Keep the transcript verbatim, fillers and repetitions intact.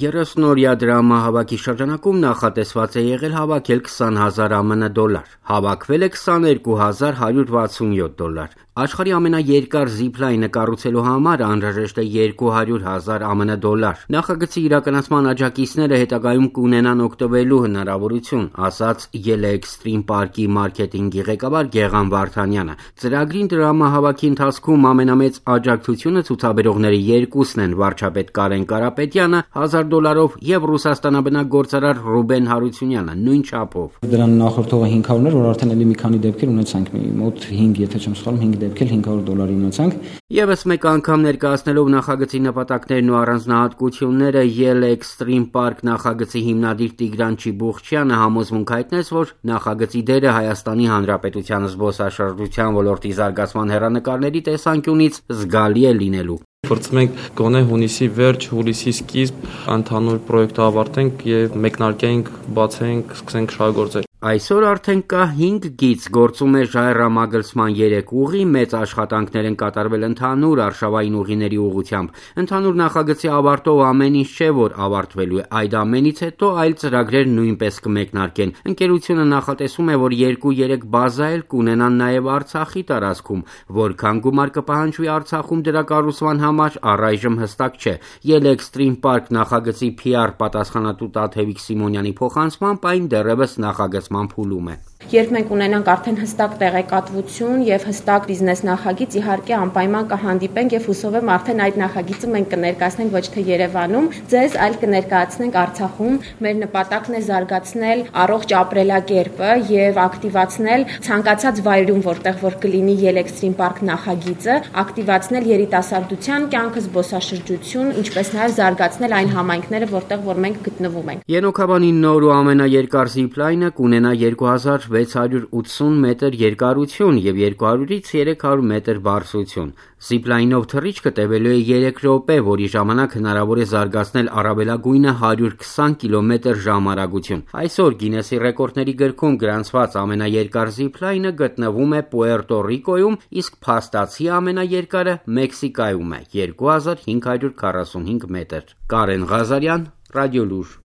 երեսնօրյա դրամահավաքի շրջանակում նախատեսված է եղել հավաքել քսան հազար ԱՄՆ դոլար, հավաքվել է քսաներկու հազար հարյուր վաթսունյոթ դոլար։ Աշխարհի ամենաերկար զիփլայնը կառուցելու համար անհրաժեշտ է երկու հարյուր հազար ԱՄՆ դոլար։ Նախագծի իրականացման աջակիցները հետագայում կունենան օգտվելու հնարավորություն, ասաց Ելը Էքստրիմ պարկի մարքեթինգի ղեկավար Գեղամ Վարդանյանը։ Ծրագրին դրամահավաքի ընթացքում ամենամեծ աջակցությունը ցուցաբերողների երկուսն են՝ վարչապետ Կարեն Կարապետյանը հազար դոլարով եւ Ռուսաստանաբնակ գործարար Ռուբեն Հարությունյանը նույն չափով։ Դրան նախորդողը հինգ հարյուր էր, որ արդեն էլի մի քանի դեպքեր ունեցանք, մոտ հինգ, եթե չեմ սխալվում, հինգ դեպքեր հինգ հարյուր դոլարի ունեցանք։ Եվս մեկ անգամ ներկայացնելով նախագծի նպատակներն ու առանձնահատկությունները Ելը Էքստրիմ պարկ նախագծի հիմնադիր Տիգրան Չիբուխչյանը համոզմունք հայտնեց, որ նախագծի դերը Հայաստանի Հանրապետության զբոսաշրջության ոլորտի զարգացման հեռանկարների տեսանկյունից զգալի է լինելու։ Փորձում ենք գոնե հունիսի վերջ, հուլիսի սկիզբ ընդհանուր պրոյեկտը ավարտենք եւ մեկնարկենք, բացենք, սկսենք շահագործել։ Այսօր արդեն կա հինգ գիծ, գործում է ժայռամագլցման երեք ուղի, մեծ աշխատանքներ են կատարվել ընդհանուր արշավային ուղիների ուղղությամբ։ Ընդհանուր նախագծի ավարտով ամեն ինչ չէ, որ ավարտվելու է, այդ ամենից հետո այլ ծրագրեր նույնպես կմեկնարկեն։ Ընկերությունը նախատեսում է, որ երկու-երեք բազա էլ կունենան նաև Արցախի տարածքում, որքան գումար կպահանջվի Արցախում դրա կառուցման համար առայժմ հստակ չէ։ Ելը Էքստրիմ պարկ նախագծի Փի Ար պատասխանատու Տաթևիկ Սիմոնյանի փոխանցմամբ այն դեռևս նախագծման փուլում է։ Երբ մենք ունենանք արդեն հստակ տեղեկատվություն եւ հստակ բիզնես նախագիծ, իհարկե անպայման կհանդիպենք եւ հուսով եմ արդեն այդ նախագիծը մենք կներկայացնենք ոչ թե Երևանում, ձեզ, այլ կներկայացնենք Արցախում։ Մեր նպատակն է զարգացնել առողջ ապրելակերպը եւ ակտիվացնել ցանկացած վայրում, որտեղ որ կլինի Ելը Էքստրիմ պարկ նախագիծը, ակտիվացնել երիտասարդության կյանքը, զբոսաշրջություն, ինչպես նաեւ զարգացնել այն համայնքները, որտեղ որ մենք գտնվում ենք։ Ենոքաբանի նոր ու ամենաերկար զիփլայնը կունենա երկու հազար վեց հարյուր ութսուն մետր երկարություն եւ երկու հարյուրից երեք հարյուր մետր բարձրություն։ Զիփլայնով թռիչքը տևելու է երեք րոպե, որի ժամանակ հնարավոր է զարգացնել առավելագույնը հարյուր քսան կիլոմետր ժամ արագություն։ Այսօր Գինեսի ռեկորդների գրքում գրանցված ամենաերկար զիփլայնը գտնվում է Պուերտո Ռիկոյում, իսկ փաստացի ամենաերկարը Մեքսիկայում է՝ երկու հազար հինգ հարյուր քառասունհինգ մետր։ Կարեն Ղազարյան, Ռադիոլուր։